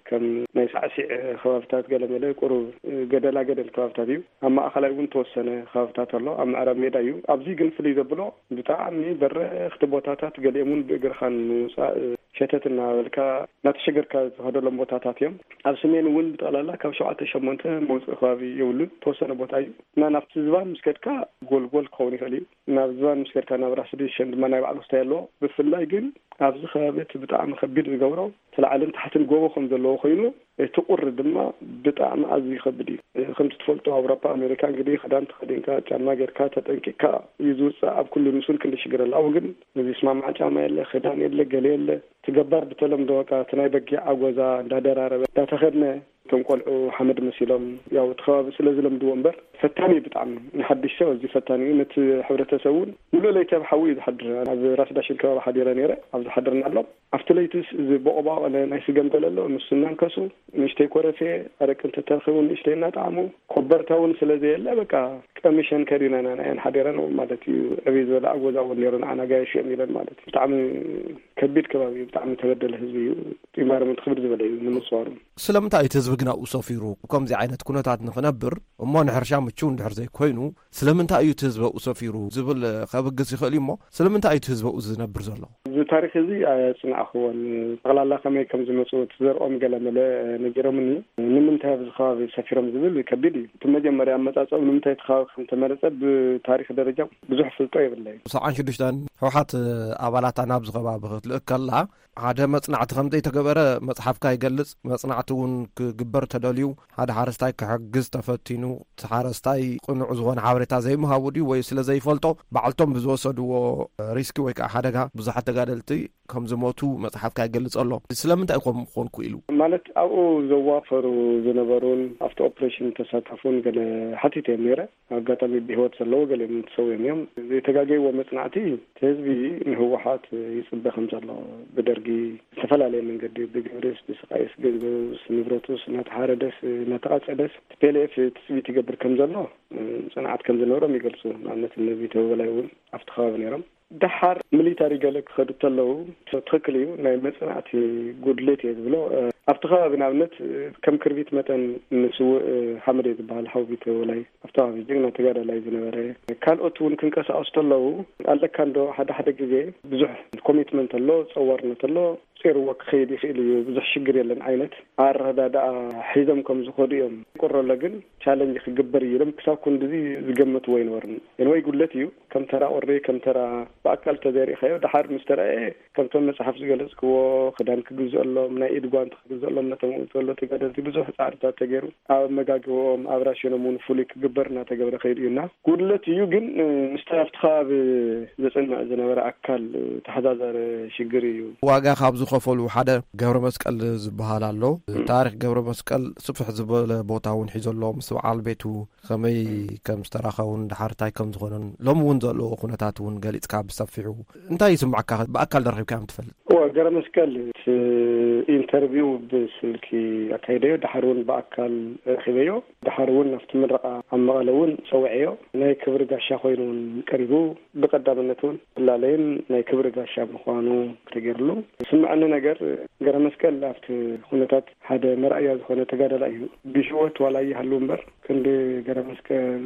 ከም ናይ ሳዕሲዕ ከባብታት ገለመለ ቁሩብ ገደላ ገደል ከባብታት እዩ። ኣብ ማእኸላይ እውን ተወሰነ ከባብታት ኣሎ። ኣብ ምዕራብ ሜዳ እዩ። ኣብዚ ግን ፍልይ ዘብሎ ብጣዕሚ በረኽቲ ቦታታት፣ ገሊኦም እውን ብእግርኻ ንምውፃእ ሸተት እናበልካ እናተሸገርካ ዝኸደሎም ቦታታት እዮም። ኣብ ሰሜን እውን ብጠቕላላ ካብ ሸውዓተ ሸሞንተ መውፅኢ ከባቢ የብሉን። ተወሰነ ቦታ እዩ እና ናብቲ ዝባን ምስ ከድካ ጎልጎል ክኸውን ይኽእል እዩ። ናብ ዝባን ምስ ከድካ ናብ ራስ ዳሽን ድማ ናይ ባዕሉ ክስታይ ኣለዎ። ብፍላይ ግን ኣብዚ ከባቢ እቲ ብጣዕሚ ከቢድ ዝገብሮ እቲ ላዕልን ታሕትን ጎቦ ከም ዘለዎ ኮይኑ እቲ ቁሪ ድማ ብጣዕሚ ኣዝዩ ከቢድ እዩ። ከምቲ ትፈልጦ ኣውሮፓ ኣሜሪካ እንግዲህ ክዳን ተኸዲንካ ጫማ ጌርካ ተጠንቂቅካ እዩ ዝውፅእ። ኣብ ኩሉ ንሱን ክንዲ ሽግር ኣለ። ኣብኡ ግን እዚ ስማማዕ ጫማ የለ፣ ክዳን የለ፣ ገለ የለ። እቲ ገባር ብተለምዶ በቃ እቲ ናይ በጊዕ ኣጎዛ እንዳደራረበ እንዳተኸድነ እቶም ቆልዑ ሓመድ መሲሎም ያው እቲ ከባቢ ስለ ዝለምድዎ እምበር ፈታኒ እዩ ብጣዕሚ። ንሓድሽ ሰብ ኣዝዩ ፈታኒ እዩ። ነቲ ሕብረተሰብ እውን ሙሉእ ለይቲ ኣብ ሓዊ እዩ ዝሓድር። ኣብ ራስ ዳሽን ከባቢ ሓዲረ ነይረ፣ ኣብ ዝሓድርና ኣሎ። ኣብቲ ለይትስ እዚ ቦቕባቕ ናይ ስገም ገለ ኣሎ፣ ንሱ እናንከሱ ንእሽተይ ኮረፌ ኣረቂ እንተተረኺቡ ንእሽተይ እናጠዓሙ ኮበርታ እውን ስለ ዘየለ በቃ ቀሚሸን ከዲነን ኣነ እየን ሓዲረን ማለት እዩ። ዕብይ ዝበለ ኣጎዛ እውን ነይሩ ንዓና ጋየሽ እዮም ኢለን ማለት እዩ። ብጣዕሚ ከቢድ ከባቢ እዩ፣ ብጣዕሚ ተበደለ ህዝቢ እዩ። ጢማርም ክብድ ዝበለ እዩ ንምፅዋሩ። ስለምንታይ እቲ ህዝቢ ግን ኣብኡ ሰፊሩ? ከምዚ ዓይነት ኩነታት ንኽነብር እሞ ንሕርሻ ምቹው እንድሕር ዘይኮይኑ ስለምንታይ እዩ እቲ ህዝቢ ኣብኡ ሰፊሩ ዝብል ከብግስ ይኽእል እዩ። እሞ ስለምንታይ እዩ እቲ ህዝቢ ኣብኡ ዝነብር ዘሎ? እዚ ታሪኽ እዚ ኣየጽናዕኽዎን። ጠቕላላ ከመይ ከም ዝመጹ እቲ ዘርኦም ገለ መለ ነጊሮምኒ። ንምንታይ ኣብዚ ከባቢ ሰፊሮም ዝብል ከቢድ እዩ። እቲ መጀመርያ ኣመጻጽኦም ንምንታይ እቲ ከባቢ ከም ተመረጸ ብታሪኽ ደረጃ ብዙሕ ፍልጦ የብለይን። ሰብዓን ሽዱሽተን ህወሓት ኣባላታ ናብዚ ከባቢ ክትልእክ ከላ ሓደ መጽናዕቲ ከም ዘይተገበረ መጽሓፍካ ይገልጽ። መጽናዕቲ እውን ክግበር ተደልዩ ሓደ ሓረስታይ ክሕግዝ ተፈቲኑ እቲ ሓረስታይ ቅኑዕ ዝኾነ ሓበሬታ ዘይምሃቡ ድዩ ወይ ስለ ዘይፈልጦ ባዕልቶም ብዝወሰድዎ ሪስኪ ወይ ከዓ ሓደጋ ብዙሓት ተጋደልቲ ከም ዝሞቱ መጽሓፍካ ይገልጽ ኣሎ። ስለምንታይ ኮም ክኾን ክኢሉ? ማለት ኣብኡ ዘዋፈሩ ዝነበሩን ኣብቲ ኦፕሬሽን ተሳተፉን ገለ ሓቲተ እዮም ነይረ። ኣጋጣሚ ብህይወት ዘለዉ ገሊኦም ተሰዊኦም እዮም። ዘይተጋገይዎ መጽናዕቲ እቲ ህዝቢ ንህወሓት ይጽበ ከም ዘሎ ብደርጊ ዝተፈላለየ መንገዲ ብግብርስ ብስቃይስ ገንዘቡስ ንብረቱስ እናተሓረደስ እናተቓጸደስ ፒኤልኤፍ ትጽቢት ይገብር ከም ዘሎ ጽንዓት ከም ዝነበሮም ይገልጹ። ንኣብነት እነ ቢተው በላይ እውን ኣብቲ ከባቢ ነይሮም። ደሓር ሚሊታሪ ገለ ክኸዱ እንተለዉ ትኽክል እዩ፣ ናይ መጽናዕቲ ጉድሌት እየ ዝብሎ። ኣብቲ ከባቢ ንኣብነት ከም ክርቢት መጠን ንስውእ ሓመድ እዩ ዝበሃል ሓውቢት ወላይ ኣብቲ ከባቢ ጅግና ተጋዳላይ ዝነበረ ካልኦት እውን ክንቀሳቀሱ ተለዉ ኣለካ እንዶ ሓደ ሓደ ግዜ ብዙሕ ኮሚትመንት ኣሎ፣ ጸዋርነት ኣሎ፣ ጼርዎ ክኸይድ ይኽእል እዩ፣ ብዙሕ ሽግር የለን ዓይነት ኣረዳድኣ ሒዞም ከም ዝኸዱ እዮም። ይቁረሎ ግን ቻለንጅ ክግበር እዩ ኢሎም ክሳብ ክንድዚ ዝገመትዎ ኣይነበሩን። ኤንወይ ጉድለት እዩ። ከም ተራ ቁሪ ከም ተራ ብኣካል ተዘይርኢኻዮ ድሓር ምስ ተረኣየ ከምቶም መጽሓፍ ዝገለጽክዎ ክዳን ክግዝአሎም ናይ ኢድ ጓንቲ ክግዝአሎም ነቶም ዘሎ ተጋደልቲ ብዙሕ ጻዕርታት ተገይሩ ኣብ ኣመጋግብኦም ኣብ ራሽኖም እውን ፍሉይ ክግበር እናተገብረ ከይዱ እዩና ጉድለት እዩ። ግን ምስቲ ኣብቲ ከባቢ ዘጽንዕ ዝነበረ ኣካል ተሓዛዘረ ሽግር እዩ። ዋጋ ካብ ዝኸፈሉ ሓደ ገብረ መስቀል ዝበሃል ኣሎ። ታሪክ ገብረ መስቀል ስፍሕ ዝበለ ቦታ እውን ሒዞ ኣሎ ምስ በዓል ቤቱ ከመይ ከም ዝተራኸቡን ድሓር እንታይ ከም ዝኾነን ሎሚ እውን ዘለዎ ኩነታት እውን ገሊጽካ ብሰፊሑ እንታይ ይስምዓካ? ብኣካል ደርኺብካዮም ትፈልጥ? እወ፣ ገረ መስቀል እቲ ኢንት ኢንተርቪው ብስልኪ ኣካይደዮ፣ ድሓር እውን ብኣካል ረኺበዮ። ድሓር እውን ኣብቲ ምረቓ ኣብ መቐለ እውን ጸውዐዮ። ናይ ክብሪ ጋሻ ኮይኑ እውን ቀሪቡ። ብቐዳምነት እውን ፍላለይን ናይ ክብሪ ጋሻ ምዃኑ ተገይርሉ። ዝስምዐኒ ነገር፣ ገረ መስቀል ኣብቲ ኩነታት ሓደ መርኣያ ዝኾነ ተጋዳላይ እዩ። ብህይወት ዋላ ይሃሉ እምበር፣ ክንዲ ገረ መስቀል፣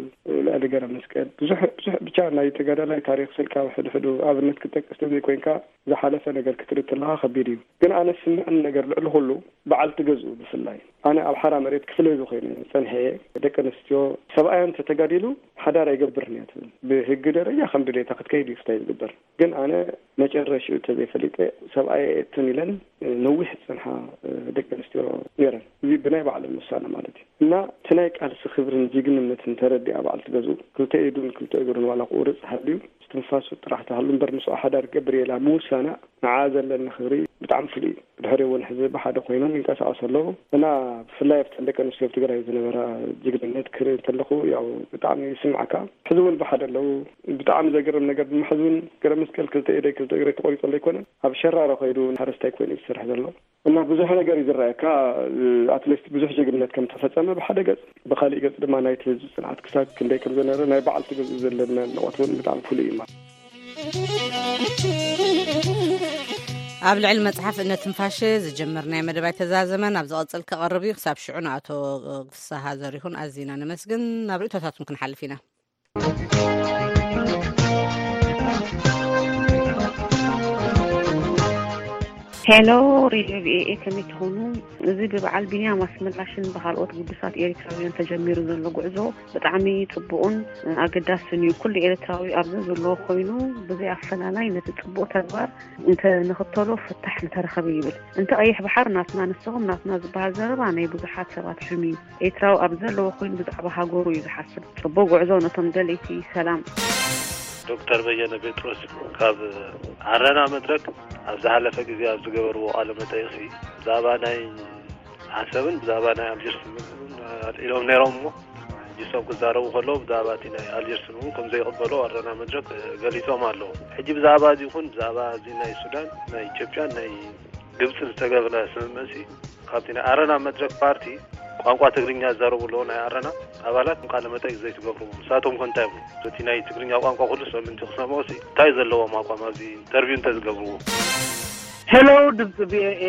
ልዕሊ ገረ መስቀል፣ ብዙሕ፣ ብዙሕ ብቻ ናይ ተጋዳላይ ታሪኽ ስልካ ሕድሕዱ ኣብነት ክጠቅስ ተዘይኮይንካ፣ ዝሓለፈ ነገር ክትርኢ ከለኻ ከቢድ እዩ። ግን ኣነ ዝስምዐኒ ነገር ልዕሊ ኩሉ፣ በዓልቲ ገዝኡ ብፍላይ፣ ኣነ ኣብ ሓራ መሬት ክፍለ ህዝቢ ኮይነ ጸንሐ እየ። ደቂ ኣንስትዮ፣ ሰብኣያ እንተተጋዲሉ ሓዳር ኣይገብርን እያ ትብል። ብህጊ ደረጃ ከም ድሌታ ክትከይድ እዩ ፍታይ ዝግበር። ግን ኣነ መጨረሽኡ እንተዘይፈሊጠ፣ ሰብኣየ እየትን ኢለን ነዊሕ ዝጸንሓ ደቂ ኣንስትዮ ነይረን። እዚ ብናይ ባዕለን ውሳነ ማለት እዩ። እና እቲ ናይ ቃልሲ ክብርን ጅግንነትን ተረዲኣ በዓልቲ ገዝኡ፣ ክልተ ኢዱን ክልተ እግሩን ዋላ ቁርጽ ሃልዩ፣ እስትንፋሱ ጥራሕ ትሃሉ እምበር፣ ምስኣ ሓዳር ክገብር እየ ኢላ ምውሳና፣ ንዓ ዘለኒ ክብሪ ብጣዕሚ ፍሉይ እዩ። ብድሕሪኡ እውን ሕዚ ብሓደ ኮይኖም ይንቀሳቐሱ ኣለዉ። እና ብፍላይ ኣብተን ደቂ ኣንስትዮ ኣብ ትግራይ ዝነበራ ጅግንነት ክርኢ እንተለኹ፣ ያው ብጣዕሚ ይስምዓካ። ሕዚ እውን ብሓደ ኣለዉ። ብጣዕሚ ዘገርም ነገር ድማ፣ ሕዚ እውን ገረ መስቀል ክልተ ኢደይ ክልተ እግረይ ተቆሪፁ ኣሎ ኣይኮነን፣ ኣብ ሸራሮ ከይዱ ሓረስታይ ኮይኑ እዩ ዝሰርሕ ዘሎ። እና ብዙሕ ነገር እዩ ዝረኣየካ። ኣትሊስት ብዙሕ ጅግንነት ከም ተፈጸመ ብሓደ ገጽ፣ ብኻሊእ ገጽ ድማ ናይቲ ህዝቢ ጽንዓት ክሳብ ክንደይ ከም ዝነበረ፣ ናይ በዓልቲ ገዝኡ ዘለና ኣድናቖት እውን ብጣዕሚ ፍሉይ እዩ ማለት። ኣብ ልዕሊ መጽሓፍ እነ ትንፋሸ ዝጀመርናዮ መደብ ኣይተዛዘመን፣ ኣብ ዝቐጽል ክቐርብ እዩ። ክሳብ ሽዑ ንኣቶ ፍስሃ ዘሪሁን ኣዚና ነመስግን። ናብ ርእይቶታቱን ክንሓልፍ ኢና። ሄሎ፣ ሬድዮ ቪኦኤ፣ ከመይ ትኾኑ? እዚ ብበዓል ቢንያም ኣስመላሽን ብኻልኦት ግዱሳት ኤሪትራውያን ተጀሚሩ ዘሎ ጉዕዞ ብጣዕሚ ጽቡቕን ኣገዳስን እዩ። ኩሉ ኤሪትራዊ ኣብ ዘዘለዎ ኮይኑ ብዘይ ኣፈላላይ ነቲ ጽቡቕ ተግባር እንተ ንኽተሎ ፍታሕ ምተረኸበ ይብል። እንተ ቀይሕ ባሕር ናትና ንስኹም ናትና ዝበሃል ዘረባ ናይ ብዙሓት ሰባት ሕልሚ እዩ። ኤርትራዊ ኣብ ዘለዎ ኮይኑ ብዛዕባ ሃገሩ እዩ ዝሓስብ። ጽቡቕ ጉዕዞ ነቶም ደለይቲ ሰላም። ዶክተር በየነ ጴጥሮስ ካብ ዓረና መድረክ ኣብ ዝሓለፈ ግዜ ኣብ ዝገበርዎ ቃለ መጠይቕሲ ብዛዕባ ናይ ዓሰብን ብዛዕባ ናይ ኣልጀርስ ኣልዒሎም ነይሮም እሞ ሕጂ እሶም ክዛረቡ ከለዉ ብዛዕባ እቲ ናይ ኣልጀርስን እውን ከም ዘይቕበሎ ኣረና መድረክ ገሊጾም ኣለዉ። ሕጂ ብዛዕባ እዚ ይኹን ብዛዕባ እዚ ናይ ሱዳን ናይ ኢትዮጵያን ናይ ግብጽን ዝተገብረ ስምምዕሲ ካብቲ ናይ ኣረና መድረክ ፓርቲ ቋንቋ ትግርኛ ዝዛረቡ ኣለዉ ናይ ኣረና ኣባላት ቃለ መጠይቅ ዘይትገብሩ ንሳቶም ከ እንታይ ይብሉ? እቲ ናይ ትግርኛ ቋንቋ ኩሉ ሰብ ምንቲ ክሰምዖ ሲ እንታይ ዘለዎም ኣቋም ኣብዚ ኢንተርቪው እንተዝገብርዎ? ሄሎ ድምፂ ቪኦኤ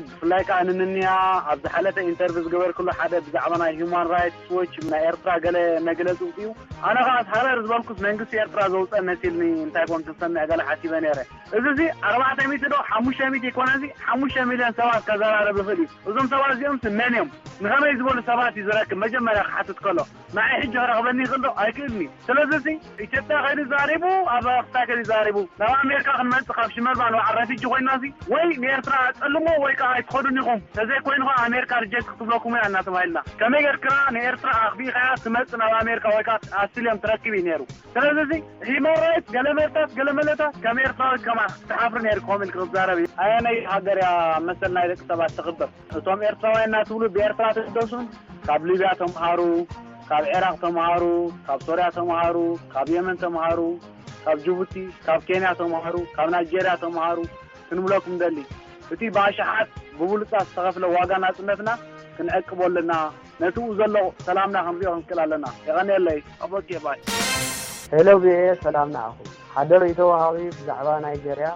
ብፍላይ ከዓ ንምንያ ኣብ ዝሓለፈ ኢንተርቪው ዝገበርክሉ ሓደ ብዛዕባ ናይ ሂማን ራይትስ ዎች ናይ ኤርትራ ገለ መግለፂ ውፅኡ ኣነ ከዓ ሃረር ዝበልኩስ መንግስቲ ኤርትራ ዘውፀ መሲልኒ እንታይ ኮን ክንሰምዕ ገለ ሓሲበ ነይረ እዚ እዚ ኣርባዕተ ሚእቲ ዶ ሓሙሽተ ሚእቲ ይኮነ እዚ ሓሙሽተ ሚልዮን ሰባት ከዘራረብ ይኽእል እዩ እዞም ሰባት እዚኦም ስ መን እዮም ንኸመይ ዝበሉ ሰባት እዩ ዝረክብ መጀመርያ ክሓትት ከሎ ንዓይ ሕጂ ክረኽበኒ ይኽእል ዶ ኣይክእልን እዩ ስለዚ እዚ ኢትዮጵያ ከይዱ ዛሪቡ ኣብ ኣክታይ ከይዱ ዛሪቡ ናብ ኣሜሪካ ክንመፅእ ካብ ሽመልባ ንባዓል ረፊጂ ኮይና እዚ ወይ ንኤርትራ ኣፀልሞ ወይ ከዓ ኣይትኸዱን ኢኹም ተዘይኮይኑ ከዓ ኣሜሪካ ሪጀክት ክትብለኩም እያ እናተባሂልና ከመይ ጌርክራ ንኤርትራ ኣኽቢእካ እያ ትመፅእ ናብ ኣሜሪካ ወይ ከዓ ኣስልዮም ትረክብ እዩ ነይሩ ስለዚ እዚ ሂማን ራይት ገለመለታት ገለመለታት ከም ኤርትራዊ ከማ ክትሓፍሪ ነይሩ ክኸም ኢልክ ክትዛረብ እዩ ኣየነይ ሃገር እያ መሰል ናይ ደቂ ሰባት ትኽብር እቶም ኤርትራውያን እናትብሉ ብኤርትራ ትግደሱን ካብ ሊብያ ተምሃሩ፣ ካብ ዒራቕ ተምሃሩ፣ ካብ ሶርያ ተምሃሩ፣ ካብ የመን ተምሃሩ፣ ካብ ጅቡቲ፣ ካብ ኬንያ ተምሃሩ፣ ካብ ናይጀርያ ተምሃሩ ክንብለኩም ንደሊ። እቲ ብኣሽሓት ብብሉጻት ዝተኸፍለ ዋጋ ናጽነትና ክንዕቅቦ ኣለና። ነቲ ብኡ ዘሎ ሰላምና ክንሪኦ ክንክእል ኣለና። የቐንየለይ። ኦኬ ባይ። ሄሎ ቪኦኤ ሰላም ንዓኹም። ሓደ ርእይቶ ወሃቢ ብዛዕባ ናይጀርያ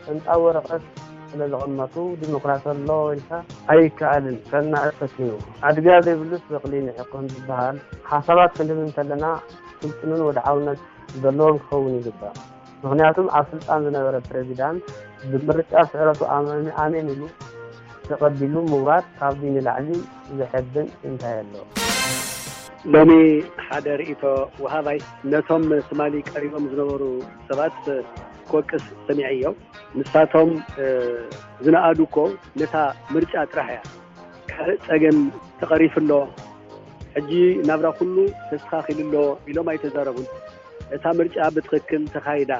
ቅንጣብ ወረቐት ስለ ዘቐመጡ ዲሞክራሲ ኣሎ ኢልካ ኣይከኣልን ከናእስ ፈቲኑ። ኣድጋ ዘይብሉስ በቕሊ ንዒቕ ከምዝበሃል ሓሳባት ክንህብ እንተለና ስልጡንን ወድዓውነት ዘለዎን ክኸውን ይግባእ። ምኽንያቱም ኣብ ስልጣን ዝነበረ ፕረዚዳንት ብምርጫ ስዕረቱ ኣሜን ኢሉ ተቐቢሉ ምውራድ ካብዚ ንላዕሊ ዘሐብን እንታይ ኣሎ? ሎሚ ሓደ ርእይቶ ወሃባይ ነቶም ትማሊ ቀሪቦም ዝነበሩ ሰባት ክወቅስ ሰሚዐዮ። ንሳቶም ዝነኣዱ እኮ ነታ ምርጫ ጥራሕ እያ። ካልእ ጸገም ተቐሪፉ ኣሎ፣ ሕጂ ናብራ ኩሉ ተስተኻኺሉ ኣሎ ኢሎም ኣይተዛረቡን። እታ ምርጫ ብትኽክል ተኻይዳ፣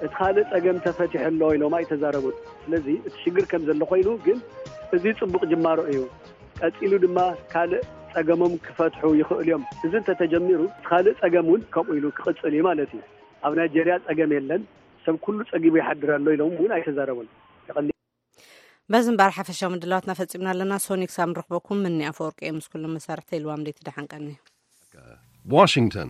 እቲ ካልእ ጸገም ተፈቲሑ ኣሎ ኢሎም ኣይተዛረቡን። ስለዚ እቲ ሽግር ከም ዘሎ ኮይኑ ግን እዚ ጽቡቕ ጅማሮ እዩ። ቀጺሉ ድማ ካልእ ጸገሞም ክፈትሑ ይኽእሉ እዮም። እዚ እንተተጀሚሩ እቲ ካልእ ጸገም እውን ከምኡ ኢሉ ክቕጽል እዩ ማለት እዩ። ኣብ ናይጀርያ ጸገም የለን፣ ሰብ ኩሉ ጸጊቡ ይሓድር ኣሎ ኢሎም እውን ኣይተዛረቡን። የቐንየለይ። በዚ እምበኣር ሓፈሻዊ ምድላዋትና ፈጺምና ኣለና። ሶኒ ክሳብ ንረኽበኩም፣ ምኒ ኣፈወርቂ እየ ምስ ኩሎም መሳርሕተይ ልዋም ደይቲ ደሓን ቀኒ። Washington.